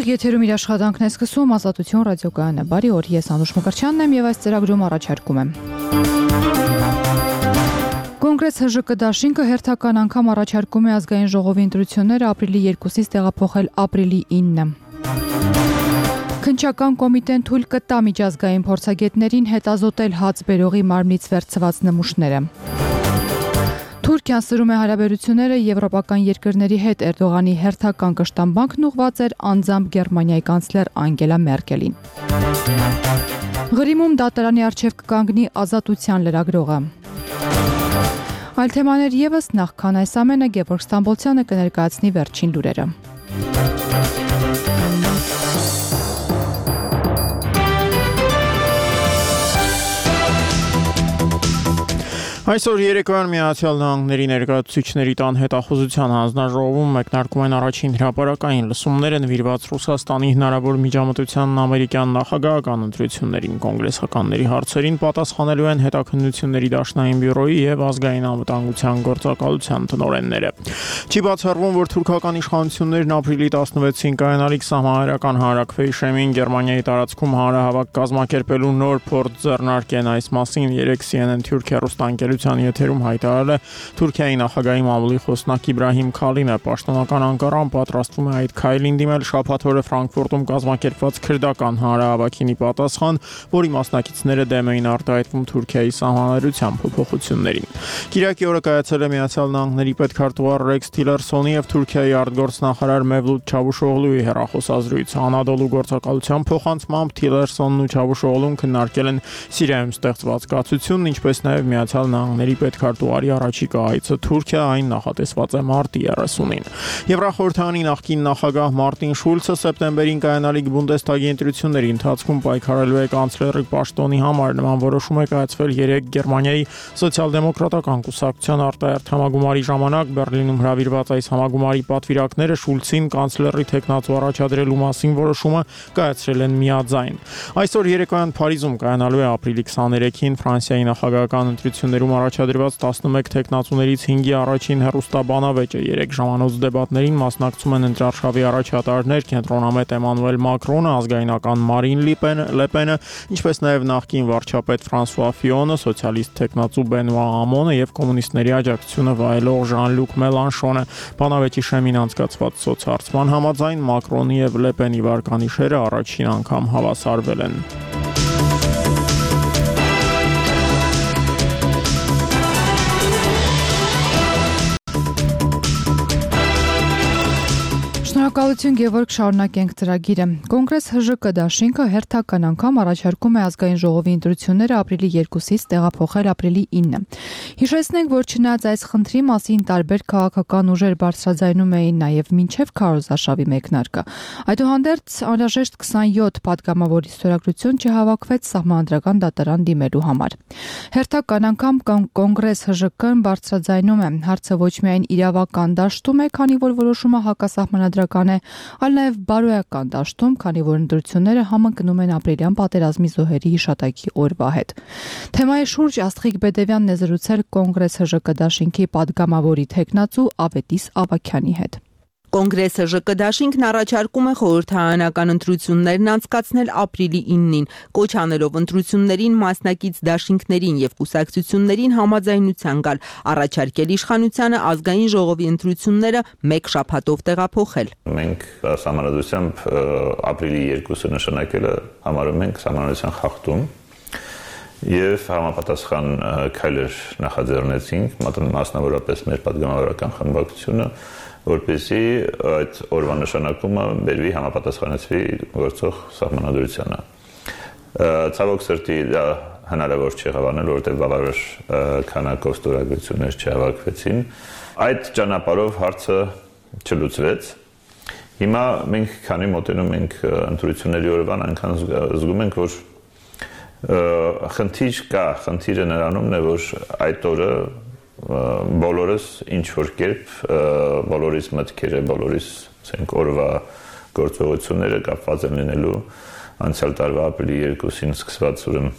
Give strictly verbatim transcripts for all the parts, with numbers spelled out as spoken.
Ուղիղ եթերում իր աշխատանքն է սկսում Ազատություն ռադիոկայանը։ Բարի օր, ես Անուշ Մկրտչյանն եմ եւ այս ծրագրում առաջարկում եմ։ Կոնգրես ՀԺԿ դաշինքը հերթական անգամ առաջարկում է ազգային ժողովի ընտրությունները ապրիլի երկուսից տեղափոխել ապրիլի ինը։ Քննչական կոմիտեն թույլ կտա միջազգային փորձագետներին հետազոտել հաց բերողի մարմնից վերցված նմուշները։ Թուրքիան սրում է հարաբերությունները եվրոպական երկրների հետ։ Էրդողանի հերթական կշտամբանքն ուղղված էր անձամբ Գերմանիայի կանցլեր Անգելա Մերկելին։ Ղրիմում դատարանի առջև կկանգնի Ազատության լրագրողը։ Այլ թեմաներ ևս, նախքան այս ամենը Գևորգ Ստամբոլցյանը կներկայացնի վերջին լուրերը։ Այսօր երեկոյան Միացյալ Նահանգների ներկայացուցիչների տան հետախուզության հանձնաժողովում մեկնարկում են առաջին հրապարակային լսումները նվիրված Ռուսաստանի հնարավոր միջամտությանն ամերիկյան նախագահական ընտրություններին։ Կոնգրեսականների հարցերին պատասխանելու են հետաքննությունների դաշնային բյուրոյի եւ ազգային անվտանգության գործակալության տնօրենները։ Չի բացառվում, որ թուրքական իշխանություններն ապրիլի տասնվեցին կայանալիք սահմանադրական հանրաքվեի շեմին Գերմանիայի տարածքում հանրահավաք կազմակերպելու նոր փորձ ձեռնարկեն։ Այս մասին երեկ C N N Թուրքիա ռուստանգելության եթերում հայտարարել է Թուրքիայի նախագահի մամուլի խոսնակ Իբրահիմ Քալինը։ Պաշտոնական Անկարան պատրաստվում է այդ քայլին դիմել շաբաթ օրը Ֆրանկֆուրտում կազմակերպված քրդական հանրահավաքին պատասխան, որի մասնակիցները դեմ էին արտահայտվում Թուրքիայի սահմանադրության փոփոխություններին։ Կիրակի օրը կայացել է Միացյալ Նահանգների պետքարտուղար Ռեքս Թիլերսոնի եւ Թուրքիայի արտգործնախարար Մևլութ Չավուշօղլուի հեռախոսազրույց։ Անադոլու գործակալության փոխանցմամբ Թիլերսոնն ու Չավուշօղլուն քննարկել են Սիրիայում ստեղծված կացությունն, ինչպես նաեւ Միացյալ Նահանգների պետքարտուղարի առաջիկա այցը Թուրքիա, այն նախատեսված է մարտի երեսունին։ Եվրախորհրդանի նախկին նախագահ Մարտին Շուլցը սեպտեմբերին կայանալիք Բունդեսթագի ընտրությունների ընթացքում պայքարելու է կանցլերի պաշտոնի համար։ Նման որոշում է կայացվել երեկ Գերմանիայի սոցիալ-դեմոկրատական կուսակցության արտահերթ համագումարի ժամանակ։ Բեռլինում հրավիրված այս համագումարի պատվիրակները Շուլցին կանցլերի թեկնածու առաջադրելու մասին որոշումը կայացրել են միաձայն։ Այսօր երեկոյան Փարիզում կայանալու է ապրիլի քսաներեքին Ֆրանսիայի նախագահական ընտրություններում առաջադրված տասնմեկ թեկնածուներից հինգի առաջին հեռուստաբանավեճը։ Երեք ժամանոց դեբատներին մասնակցում են ընտրարշավի առաջատարներ կենտրոնամետ Էմանուել Մակրոնը, ազգայնական Մարին Լեպենը, ինչպես նաև նախկին վարչապետ Ֆրանսուଆ Ֆիոնը, սոցիալիստ թեկնածու Բենուա Ամոնը եւ կոմունիստների աջակցությունը վայելող Ժան-Լյուկ Մելանշոնը։ Բանավեճի շեմին անցկացված սոցհարցման համաձայն Մակրոնի եւ Լեպենի վարկանիշերը առաջին անգամ հավասարվել են։ Շնորհակալություն Գևորգ, շարունակենք ծրագիրը։ Կոնգրես ՀԺԿ դաշինքը հերթական անգամ առաջարկում է ազգային ժողովի ընտրությունները ապրիլի երկուսից տեղափոխել ապրիլի ինը։ Հիշեցնենք, որ չնայած այս խնդրի մասին տարբեր քաղաքական ուժեր բարձրաձայնում էին նաև մինչև քարոզարշավի մեկնարկը, այդուհանդերձ անհրաժեշտ քսանյոթ պատգամավորի ստորագրություն չհավաքվեց սահմանադրական դատարան դիմելու համար։ Հերթական անգամ Կոնգրես ՀԺԿ-ն բարձրաձայնում է, հարցը ոչ միայն իրավական դաշտում է, քանի որ որոշումը հակասահմանադրական է, այլ նաև բարոյական դաշտում, քանի որ ընտրությունները համընկնում են ապրիլյան պատերազմի զոհերի հիշատակի օրվա հետ։ Թեմայի շուրջ Աստղիկ Բեդևյանն է զրուցել Կոնգրես ՀԺԿ դաշինքի պատգամավորի թեկնածու Ավետիս Ավագյանի հետ։ Կոնգրես ՀԺԿ դաշինքն առաջարկում է խորհրդարանական ընտրություններն անցկացնել ապրիլի ինին, կոչ անելով ընտրություններին մասնակից դաշինքներին եւ կուսակցություններին համաձայնության գալ, առաջարկել իշխանությանը ազգային ժողովի ընտրությունները մեկ շաբաթով տեղափոխել։ Մենք համանadությամբ ապրիլի երկուսը նշանակելը համարում ենք համանadության խախտում եւ համապատասխան քայլեր նախաձեռնեցինք, մասնավորապես մեր պատգամավորական խմբակցությունը, որպեսզի այդ օրվա նշանակումը բերվի համապատասխանեցվի գործող սահմանադրությանը։ Ցավոք սրտի դա հնարավոր չեղավ անել, որովհետև բավարար քանակով ստորագրություններ չհավաքվեցին։ Այդ ճանապարհով հարցը չլուծվեց։ Հիմա մենք քանի մոտենում ենք ընտրությունների օրվան, այնքան զգում ենք, որ խնդիր կա, խնդիրը նրանումն է, որ այդ օրը բոլորս ինչ որ կերպ բոլորիս մտքերը, բոլորիս ասենք օրվա գործողությունները կապված են լինելու անցյալ տարվա ապրիլի երկուսին սկսված ուրեմն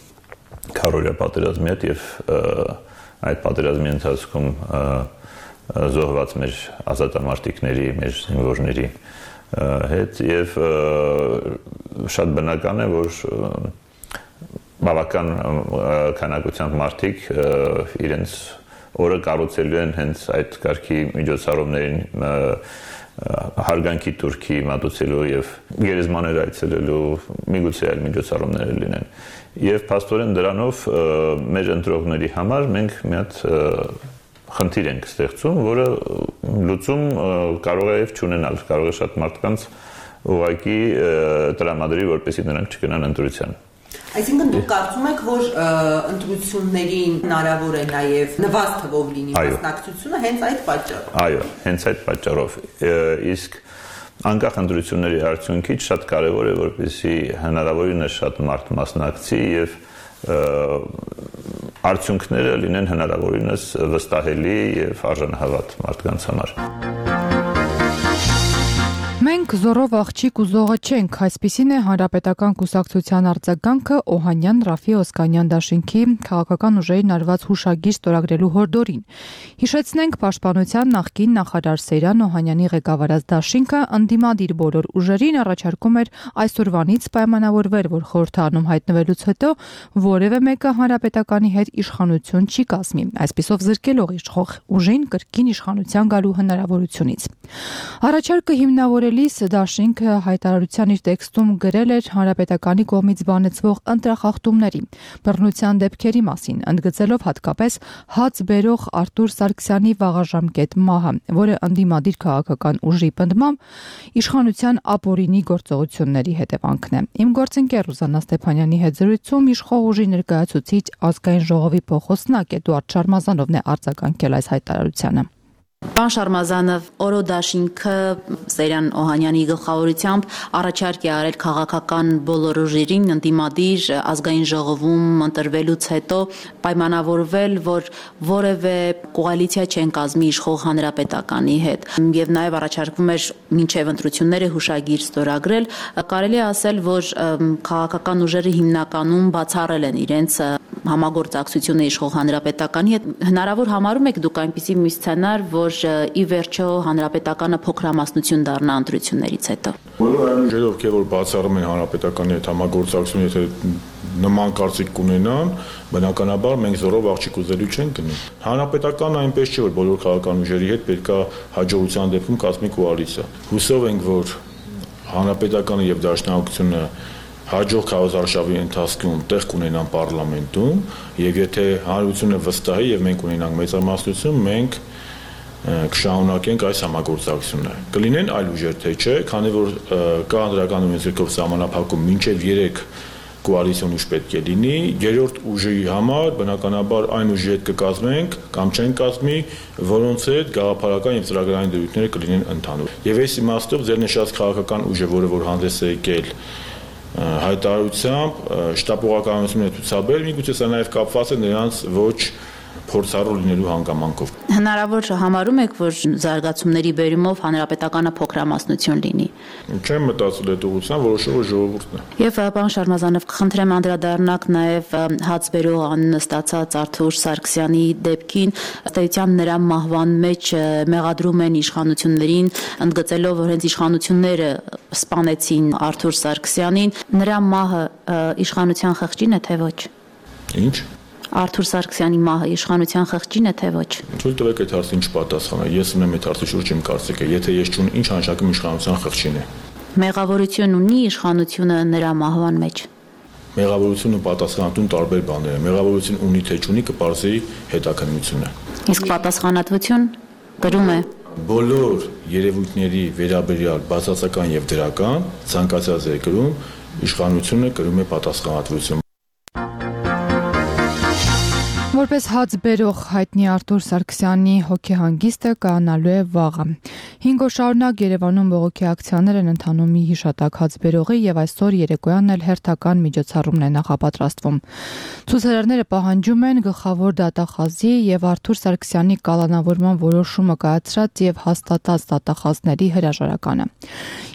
քարորիա պատերազմի հետ եւ այդ պատերազմի ընթացքում զոհված մեր ազատամարտիկների, մեր զինվորների հետ եւ շատ բնական է, որ բավական քանակությամբ մարդիկ իրենց օրը կառուցելու են հենց այդ կարգի միջոցառումներին հարգանքի турքի մատուցելու եւ գերեզմաներ այցելելու միգուցե այլ միջոցառումներ լինեն եւ փաստորեն դրանով մեր ընտրողների համար մենք մի հատ խնդիր ենք ստեղծում, որը լուծում կարող է եւ չունենալ, կարող է շատ մարդկանց ուղղակի տրամադրի, որպեսզի նրանք չգնան ընտրության։ Այսինքն դուք կարծում եք, որ ընտրություններին հնարավոր է նաև նվազ թվով լինի մասնակցությունը հենց այդ պատճառով։ Այո, հենց այդ պատճառով։ Իսկ անկախ ընտրությունների արդյունքից շատ կարևոր է, որպեսզի հնարավորինս շատ մարդ մասնակցի եւ արդյունքները լինեն հնարավորինս վստահելի եւ արժանահավատ մարդկանց համար։ Մենք զորով աղջիկ ու զողը չենք, այսպիսին է Հանրապետական կուսակցության արձագանքը Օհանյան Ռաֆի Օսկանյան դաշինքի քաղաքական ուժերին արված հուշագիր ստորագրելու հորդորին։ Հիշեցնենք, Պաշտպանության նախկին նախարար Սեյրան Օհանյանի ղեկավարած դաշինքը ընդդիմադիր բոլոր ուժերին առաջարկում էր այսօրվանից պայմանավորվել, որ խորհրդարանում հայտնվելուց հետո որևէ մեկը Հանրապետականի հետ իշխանություն չի կազմի, այսպիսով զրկելով իշխող ուժին կրկին իշխանության գալու հնարավորությունից։ Առաջարկը հիմնավորելիս դաշինքը հայտարարության իր տեքստում գրել էր Հանրապետականի կողմից բանեցվող ընտրախախտումների, բռնության դեպքերի մասին, ընդգծելով հատկապես հաց բերող Արտուր Սարգսյանի վաղաժամկետ մահը, որը ընդդիմադիր քաղաքական ուժի պնդմամբ իշխանության ապօրինի գործողությունների հետևանքն է։ Իմ գործընկեր Ռուզաննա Ստեփանյանի հետ զրույցում իշխող ուժի ներկայացուցիչ ազգային ժողովի փոխոստնակ Էդուարդ Շարմազանովն է արձագանքել այս հայտարարությանը։ Պան Շարմազանով օրո դաշինքը Սեյրան Օհանյանի գլխավորությամբ առաջարկ է արել քաղաքական բոլոր ուժերին ընդդիմադիր ազգային ժողովում ընտրվելուց հետո պայմանավորվել, որ որևէ կոալիցիա չեն կազմի իշխող Հանրապետականի հետ եւ նաեւ առաջարկվում էր մինչեւ ընտրությունները հուշագիր ստորագրել։ Կարելի է ասել, որ քաղաքական ուժերը հիմնականում բացառել են իրենց համագործակցությունը իշխող Հանրապետականի հետ։ Հնարավոր համարում եք դուք այնպիսի մի սցենար, որ ի վերջո Հանրապետականը փոքրամասնություն դառնա ընտրություններից հետո։ Բոլոր այն ուժերը, ովքեր որ բացառում են Հանրապետականի հետ համագործակցություն, եթե նման կարծիք կունենան, բնականաբար մենք զորով աղջիկ ուզելու չենք գնի։ Հանրապետականը այնպես չէ, որ բոլոր քաղաքական ուժերի հետ պետք է հաջողության դեպքում կազմի կոալիցիա։ Հուսով ենք, որ Հանրապետականը եւ Դաշնակցությունը հաջող քարոզարշավի ընթացքում տեղ կունենան պարլամենտում, եւ եթե հանրությունը վստահի եւ մենք ունենանք մեծամասնություն, մենք կշարունակենք այս համագործակցությունը։ Կլինեն այլ ուժեր, թե չէ, քանի որ կա անդրական ունեցքով սահմանափակում մինչև երեք կոալիցիոն ուժ պետք է լինի, երրորդ ուժի համար բնականաբար այն ուժի հետ կկազմենք կամ չեն կազմի, որոնց հետ գաղափարական եւ ծրագրային դրույթները կլինեն ընդհանուր։ Եվ այս իմաստով ձեր նշած քաղաքական ուժը, որը որ հանդես է եկել հայտարարությամբ շտապողականությունը ցուցաբեր, միգուցե սա նաև կապված է նրանց ոչ փորձառու լինելու հանգամանքով։ Հնարավոր համարում եք, որ զարգացումների բերումով Հանրապետականը փոքրամասնություն լինի։ Չեմ մտածել այդ ուղղությամբ, որոշողը ժողովուրդն է։ Եվ պարոն Շարմազանով, կխնդրեմ անդրադառնաք նաև հաց բերող աննստացած Արտուր Սարգսյանի դեպքին, ըստ էության նրա մահվան մեջ մեղադրում են իշխանություններին, ընդգծելով, որ հենց իշխանությունները սպանեցին Արտուր Սարգսյանին, նրա մահը իշխանության խղճին է, թե ոչ։ Ինչ։ Արտուր Սարգսյանի մահը իշխանության խղճին է, թե ոչ։ Թույլ տվեք այդ հարցին չպատասխանել։ Ես ունեմ այդ հարցի շուրջ իմ կարծիքը, եթե ես չունեմ, ինչ անշակում իշխանության խղճին է։ Մեղավորություն ունի իշխանությունը նրա մահվան մեջ։ Մեղավորությունը պատասխանատուն տարբեր բաներ են։ Մեղավորություն ունի թե չունի կպարզի հետաքննությունը։ Իսկ պատասխանատվություն գրում է բոլոր երևույթների վերաբերյալ բացասական եւ դրական ցանկացած երկրում իշխանությունը կրում է պատասխանատվություն։ Որպես հաց բերող հայտնի Արտուր Սարգսյանի հոգեհանգիստը կանալու է վաղը։ Հինգ օր շարունակ Երևանում բողոքի ակցիաներ են ընթանում մի հիշատակ հաց բերողի եւ այսօր երեկոյան էլ հերթական միջոցառումն է նախապատրաստվում։ Ցուցարարները պահանջում են գլխավոր դատախազի եւ Արտուր Սարգսյանի կալանավորման որոշումը կայացրած եւ հաստատած դատախազների հրաժարականը։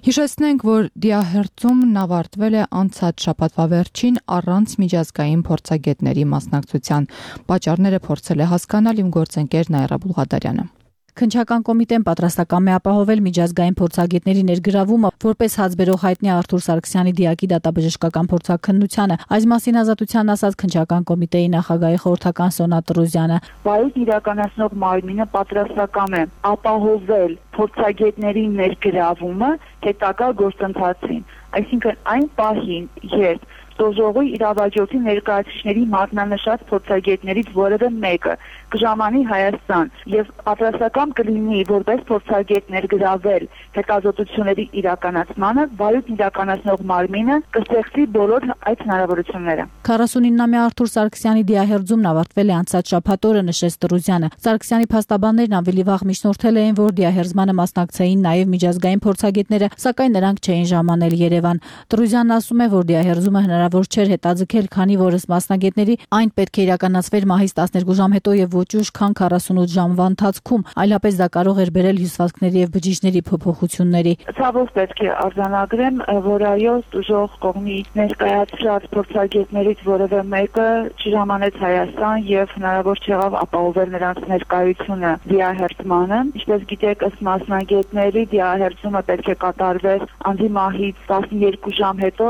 Հիշեցնենք, որ դիահերձումն ավարտվել է անցած շաբաթվա վերջին առանց միջազգային փորձագետների մասնակցության։ Պատճառները փորձել է հասկանալ իմ գործընկեր Նայրա Բուլղադարյանը։ Քննչական կոմիտեն պատրաստական է ապահովել միջազգային փորձագետների ներգրավումը, որպես հացբերող հայտնի Արթուր Սարգսյանի դիակի դատաբժշկական փորձաքննությանը։ Այս մասին Ազատությանն ասաց քննչական կոմիտեի նախագահի խորհրդական Սոնա Տրուզյանը։ Վայոց իրականացնող մարմինը պատրաստական է ապահովել փորձագետների ներգրավումը հետագա գործընթացին, այսինքն այն պահին, երբ Տոժողի իրավաճորի ներկայացուցիչների մատնանշած փորձագետներից որևէ մեկը կժամանի Հայաստան եւ պատրաստական կլինի որպես փորձագետ ներգրավել հետազոտությունների իրականացմանը, վայոց իրականացնող մարմինը կստեղծի բոլոր այդ հնարավորությունները։ քառասունինամյա Արթուր Սարգսյանի դիահերձումն ավարտվել է անցած շաբաթ օրը, նշեց Տրուզյանը։ Սարգսյանի փաստաբաններն ավելի վաղ միջնորդել էին, որ դիահերձմանը մասնակցեին նաև միջազգային փորձագետները, սակայն նրանք չէին ժամանել Երևան։ Տրուզյանն ասում է, որ դիահերձումը հնարավոր չէր հետաձգել, քանի որ ըստ մասնագետների այն պետք է իրականացվեր մահից տասներկու ժամ հետո եւ ոչ ուշ, քան քառասունութ ժամվա ընթացքում, այլապես դա կարող էր բերել հյուսվածքների եւ բջիջների փոփոխությունների։ Ցավոք պետք է արձանագրեմ, որ այո, Տուժող կողմի ներկայացրած փորձագետներից որևէ մեկը չժամանեց Հայաստան եւ հնարավոր չեղավ ապահովել նրանց ներկայությունը դիահերձմանը։ Ինչպես գիտեք, ըստ մասնագետների դիահերձումը պետք է կատարվեր անձի մահից տասներկու ժամ հետո,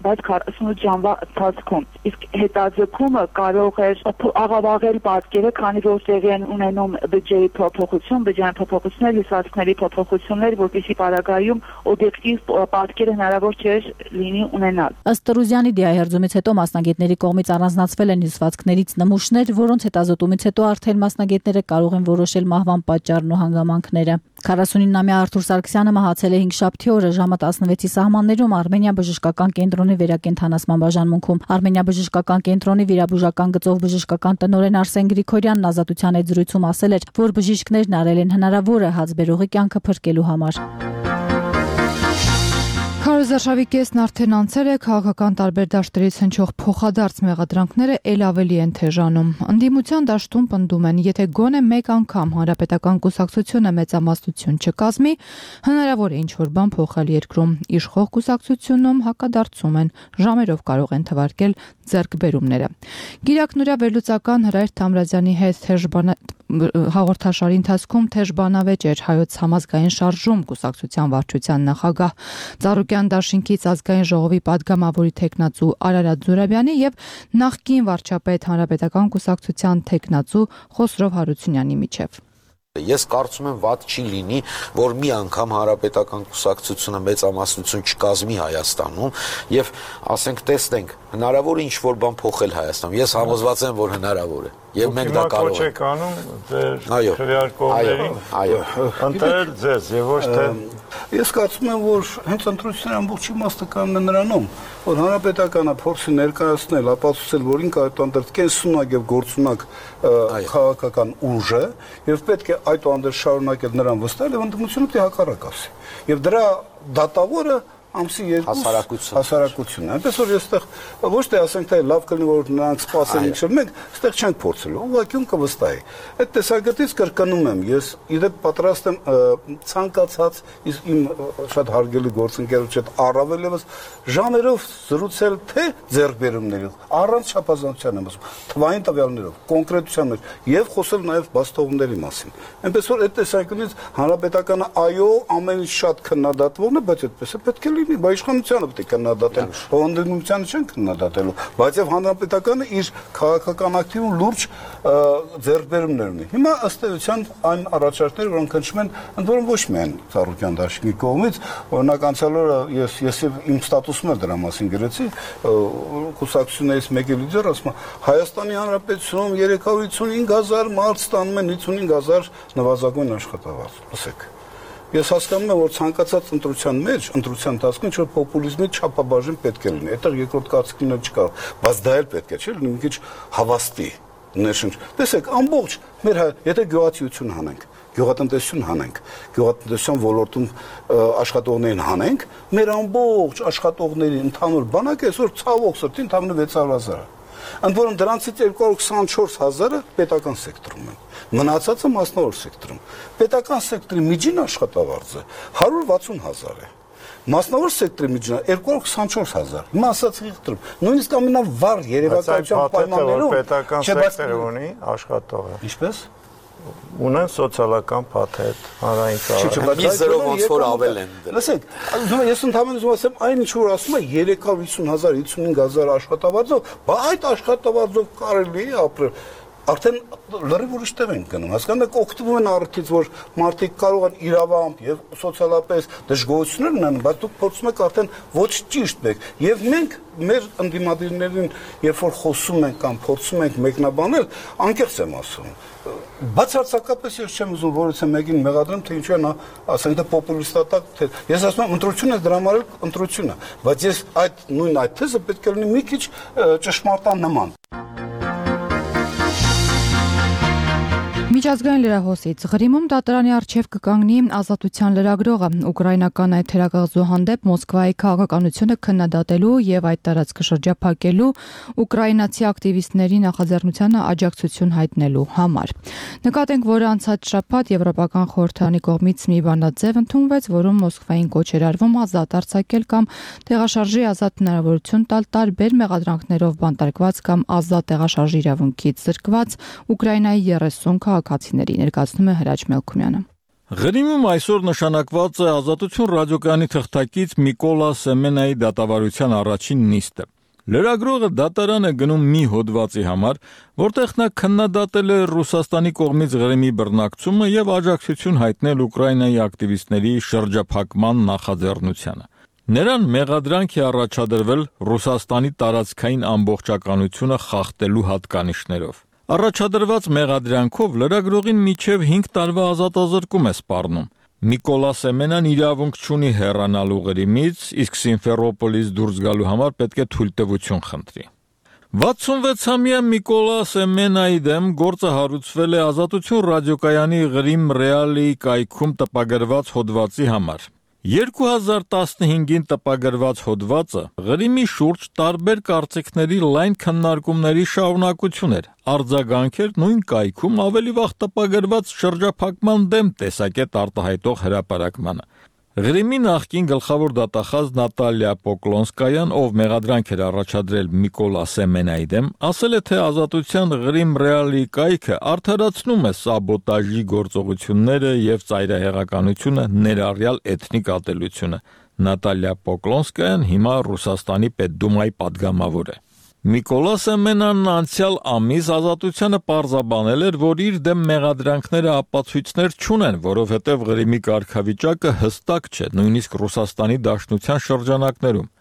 բայց քառասունութ ժամվա ընթացքում։ Իսկ հետաձգումը կարող էր աղավաղել պատկերը, քանի որ տեղի են ունենում բջջերի փոփոխություն, բջջային փոփոխություններ, հյուսվածքների փոփոխություններ, որպեսզի պարագայում օբյեկտիվ պատկերը հնարավոր չէր լինի ունենալ։ Ըստ Տրուզյանի դիահերձումից հետո մասնագետների կողմից առանձնացվել են հյուսվածքներից նմուշներ, որոնց հետազոտումից հետո արդեն մասնագետները կարող են որոշել մահվան պատճառն ու հանգամանքները։ քառասունինամյա Արթուր Սարգսյանը մահացել է հինգշաբթի օրը ժամը տասնվեցի սահմաններում Արմենիա բժշկական կենտրոնի վերակենդանացման բաժանմունքում։ Արմենիա բժշկական կենտրոնի վիրաբուժական գծով բժշկական տնօրեն Արսեն Գրիգորյանն Ազատության հետ զրույցում ասել էր, որ բժիշկներն արել են հնարավորը հացբերողի կյանքը փրկելու համար։ Քարոզարշավի կեսն արդեն անցել է, քաղաքական տարբեր դաշտերից հնչող փոխադարձ մեղադրանքները ել ավելի են թեժանում։ Ընդդիմության դաշտում պնդում են, եթե գոնե մեկ անգամ հանրապետական կուսակցությունը մեծամասնություն չկազմի, հնարավոր է ինչ-որ բան փոխել երկրում։ Իշխող կուսակցությունում հակադարձում են, ժամերով կարող են թվարկել ձեռքբերումները։ Գիրակնորյա վերլուծական Հրայր Թամրազյանի հետ թեժ հաղորդաշարի ընթացքում թեժ բանավեճ էր Հայոց համազգային շարժում կուսակցության վարչության նախագահ Ծառուկյան դաշինքից ազգային ժողովի падգամավորի տեխնացու Արարատ Զուրաբյանի եւ նախկին վարչապետ հանրապետական կուսակցության տեխնացու Խոսրով Հարությունյանի միջև։ Ես կարծում եմ վատ չի լինի, որ մի անգամ հանրապետական կուսակցությունը մեծամասնություն չկազմի Հայաստանում եւ ասենք տեսնենք հնարավոր է ինչ-որ բան փոխել Հայաստանում։ Ես համոզված եմ, որ հնարավոր է եւ մենք դա կարող ենք անում ձեր քվեարկողներին ընտրել ձեզ եւ ոչ թե Ես կարծում եմ, որ հենց ընտրությունների ամբողջ իմաստը կանում է նրանում, որ հանրապետականը փորձի ներկայացնել, ապացուցել, որ ինքը այդտեղ կենսունակ եւ գործունակ քաղաքական ուժ է եւ պետք է այդտեղ շարունակել նրան վստահել եւ ընդդիմությունը պետք է հակառակ ասի։ Եվ դրա դատավորը ամսի երկու հասարակությունն է։ Այնպես որ ես այդտեղ ոչ թե ասենք թե լավ կլինի որ նրանք սպասեն ինչ-որ մենք այդտեղ չենք փորձելու, ուղղակիում կվստահի։ Այդ տեսակետից կրկնում եմ, ես իդեպ պատրաստ եմ ցանկացած իմ շատ հարգելի գործընկերոջ հետ առավել եւս ժամերով զրուցել թե ձեռքբերումների, առանց չափազանցության եմ ասում, թվային տվյալներով, կոնկրետության մեջ եւ խոսել նաեւ բաստողների մասին։ Այնպես որ այդ տեսակետից հանրապետականը այո ամեն ինչ շատ քննադատվողն է, բայց այդպես է պետք է Բայց իշխանությունը պետք է քննադատել, հանդիպումությանը չեն քննադատելու, բայց եւ հանրապետականը իր քաղաքական ակտիվում լուրջ ձեռքբերումներ ունի։ Հիմա ըստ էության այն առաջարկները, որոնք հնչում են, ընդ որում ոչ միայն Ծառուկյան դաշինքի կողմից, օրինակ անցյալ օրը ես ես իմ ստատուսում էլ դրա մասին գրեցի, կուսակցություններից մեկի լիդերը ասում է Հայաստանի Հանրապետությունում երեք հարյուր հիսունհինգ հազար մարդ ստանում են հիսունհինգ հազար նվազագույն աշխատավարձ։ Լսեք։ Ես հասկանում եմ, որ ցանկացած ընտրության մեջ, ընտրության ընթացքում ինչ-որ պոպուլիզմի չափաբաժին պետք է լինի։ Այդտեղ երկրորդ կարծիքն չկա, բայց դա էլ պետք է, չէ՞, լինի մի քիչ հավաստի ներշնչ։ Տեսեք, ամբողջ մեր եթե գյուղացիություն հանենք, գյուղատնտեսություն հանենք, գյուղատնտեսության ոլորտում աշխատողներին հանենք, մեր ամբողջ աշխատողների ընդհանուր բանակը այսօր ցավոք սրտի ընդհանուր վեց հարյուր հազար է։ Ընդ որում դրանցից երկու հարյուր քսանչորս հազարը պետական սեկտորում են։ Մնացածը մասնավոր սեկտորում։ Պետական սեկտորի միջին աշխատավարձը հարյուր վաթսուն հազար է։ Մասնավոր սեկտորի միջինը երկու հարյուր քսանչորս հազար։ Հիմա ասացի խնդրում, նույնիսկ ամենավառ երևակայության պայմաններում պետական սեկտորը ունի աշխատողը։ Ինչպես։ ունեն սոցիալական փաթեթ, հանրային կառավարում։ Մի զրո ոնց որ ավել են դրել։ Լսեք, ես ընդհանրապես ուզում ասեմ, այն ինչ որ ասում է երեք հարյուր հիսուն հազար հիսունհինգ հազար աշխատավարձով, բա այդ աշխատավարձով կարելի է ապրել։ Արդեն լրիվ ուրիշ տեղ են գնում։ Հասկանաք, օգտվում են առիթից, որ մարդիկ կարող են իրավամբ եւ սոցիալապես դժգոհություններ ունենան, բայց դուք փորձում եք արդեն ոչ ճիշտ եք։ Եվ մենք մեր ընդդիմադիրներին, երբ որ խոսում ենք կամ փորձում ենք մեկնաբանել, անկեղծ եմ ասում։ Բացարձակապես ես չեմ ուզում որից է մեկին մեղադրեմ, թե ինչու է նա, ասենք թե պոպուլիստատակ, թե ես ասում եմ ընտրությունը դրա համար էլ ընտրությունը, բայց ես այդ նույն այդ թեզը պետք է լինի մի քիչ ճշմարտանման։ Միջազգային լրահոսից Ղրիմում դատարանի առջև կկանգնի ազատության լրագրողը ուկրաինական այդ թերակղզու հանդեպ Մոսկվայի քաղաքականությունը քննադատելու եւ այդ տարածքը շրջափակելու ուկրաինացի ակտիվիստների նախաձեռնությանը աջակցություն հայտնելու համար։ Նկատենք, որ անցած շաբաթ Եվրոպական խորհրդարանի կողմից մի բանաձև ընդունվեց, որում Մոսկվային կոչ էր արվում ազատ արձակել կամ տեղաշարժի ազատ հնարավորություն տալ տարբեր մեղադրանքներով բանտարկված կամ ազատ տեղաշարժի իրավունքից զրկված Ուկրաինայի երեսուն քաղաքացիների, ներկայացնում է Հրաչ Մելքումյանը։ Ղրիմում այսօր նշանակված է Ազատություն ռադիոկայանի թղթակից Միկոլա Սեմենայի դատավարության առաջին նիստը։ Լրագրողը դատարան է գնում մի հոդվածի համար, որտեղ նա քննադատել է Ռուսաստանի կողմից Ղրիմի բռնակցումը եւ աջակցություն հայտնել Ուկրաինայի ակտիվիստների շրջափակման նախաձեռնությանը։ Նրան մեղադրանք է առաջադրվել Ռուսաստանի տարածքային ամբողջականությունը խախտելու հատկանիշներով։ Առաջադրված մեղադրանքով լրագրողին մինչև հինգ տարվա ազատազրկում է սպառնում։ Միկոլա Սեմենան իրավունք չունի հեռանալու Ղրիմից, իսկ Սիմֆերոպոլից դուրս գալու համար պետք է թույլտվություն խնդրի։ վաթսունվեցամյա Միկոլա Սեմենայի դեմ գործը հարուցվել է Ազատություն ռադիոկայանի Ղրիմ Ռեալի կայքում տպագրված հոդվածի համար։ երկու հազար տասնհինգին տպագրված հոդվածը Ղրիմի շուրջ տարբեր կարծիքների լայն քննարկումների շարունակություն էր, արձագանք էր նույն կայքում ավելի վաղ տպագրված շրջափակման դեմ տեսակետ արտահայտող հրապարակմանը։ Ղրիմի նախկին գլխավոր դատախազ Նատալիա Պոկլոնսկայան, ով մեղադրանք էր առաջադրել Միկոլա Սեմենայի դեմ, ասել է, թե Ազատության Ղրիմ Ռեալի կայքը արդարացնում է սաբոտաժի գործողությունները եւ ծայրահեղականությունը, ներառյալ էթնիկ ատելությունը։ Նատալիա Պոկլոնսկայան հիմա Ռուսաստանի Պետդումայի падգամավոր է։ Միկոլա Սեմենանն անցյալ ամիս Ազատությանը պարզաբանել էր, որ իր դեմ մեղադրանքները ապացույցներ չունեն, որովհետև Ղրիմի կարգավիճակը հստակ չէ, նույնիսկ Ռուսաստանի Դաշնության շրջանակներում։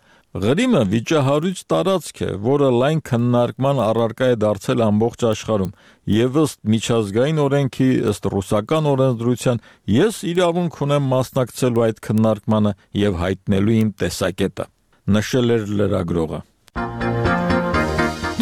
Ղրիմը վիճահարույց տարածք է, որը լայն քննարկման առարկա է դարձել ամբողջ աշխարհում, եւ ըստ միջազգային օրենքի, ըստ ռուսական օրենսդրության, ես իրավունք ունեմ մասնակցելու այդ քննարկմանը եւ հայտնելու իմ տեսակետը, նշել էր լրագրողը։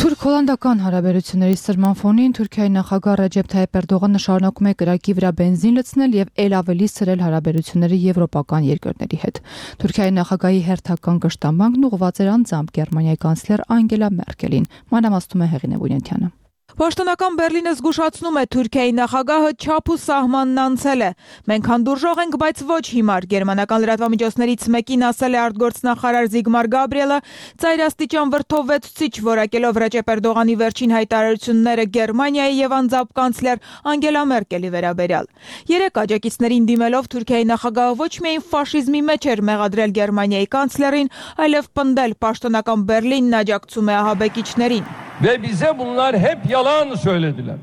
Թուրք-հոլանդական հարաբերությունների սրման ֆոնին Թուրքիայի նախագահ Ռեջեփ Թայիփ Էրդողանը շարունակում է կրակի վրա բենզին լցնել եւ ել ավելի սրել հարաբերությունները եվրոպական երկրների հետ։ Թուրքիայի նախագահի հերթական կշտամբանքն ուղղված էր անձամբ Գերմանիայի կանցլեր Անգելա Մերկելին, մանրամասնում է Հեղինե Բունյանը։ Պաշտոնական Բերլինը զգուշացնում է Թուրքիայի նախագահը չափ ու սահմանն անցել է։ Մենք հանդուրժող ենք, բայց ոչ հիմար, գերմանական լրատվամիջոցներից մեկին ասել է արտգործնախարար Զիգմար Գաբրիելը, ծայրաստիճան վրդովվեցուցիչ որակելով Ռեջեփ Էրդողանի վերջին հայտարարությունները Գերմանիայի եւ անձամբ կանցլեր Անգելա Մերկելի վերաբերյալ։ Երեք աջակիցներին դիմելով Թուրքիայի նախագահը ոչ միայն ֆաշիզմի մեջ էր մեղադրել Գերմանիայի կանցլերին, այլև պնդել պաշտոնական Բերլինն աջակցում է ահաբեկիչներին։ Ve bize bunlar hep yalan söylediler.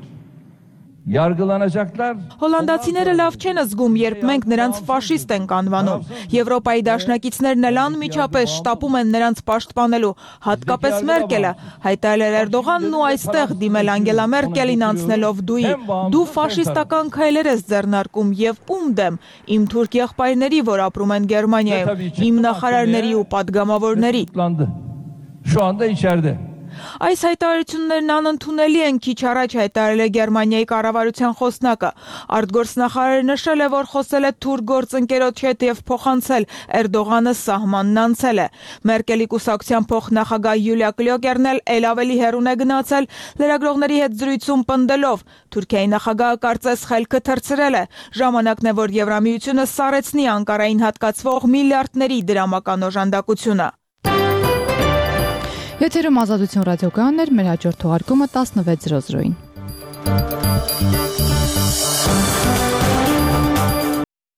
Yargılanacaklar. Հոլանդացիները լավ չեն զգում, երբ մենք նրանց ֆաշիստ ենք անվանում։ Եվրոպայի դաշնակիցներն էլ անմիջապես շտապում են նրանց պաշտպանելու, հատկապես Մերկելը, հայտարարել Էրդողանն ու այստեղ դիմել Անգելա Մերկելին անցնելով դուի։ Դու ֆաշիստական քայլեր ես ձեռնարկում եւ ում դեմ։ Իմ թուրք եղբայրների, որ ապրում են Գերմանիայում, իմ նախարարների ու падգամավորների։ Şu anda içeride. Այս հայտարարություններն անընդունելի են, քիչ առաջ հայտարարել է Գերմանիայի կառավարության խոսնակը։ Արտգործնախարարը նշել է, որ խոսել է թուրք գործընկերոջ հետ եւ փոխանցել Էրդողանը սահմանն անցել է։ Մերկելի կուսակցության փոխնախագահ Յուլիա Կլյոկերն էլ ել ավելի հեռուն է գնացել, լրագրողների հետ զրույցում պնդելով. Թուրքիայի նախագահը կարծես խելքը թռցրել է։ Ժամանակն է, որ Եվրամիությունը սառեցնի Անկարային հատկացվող միլիարդների դրամական օժանդակությունը։ Եթերում Ազատություն ռադիոկայանն էր, մեր հաջորդ թողարկումը տասնվեց զրոզրոյին։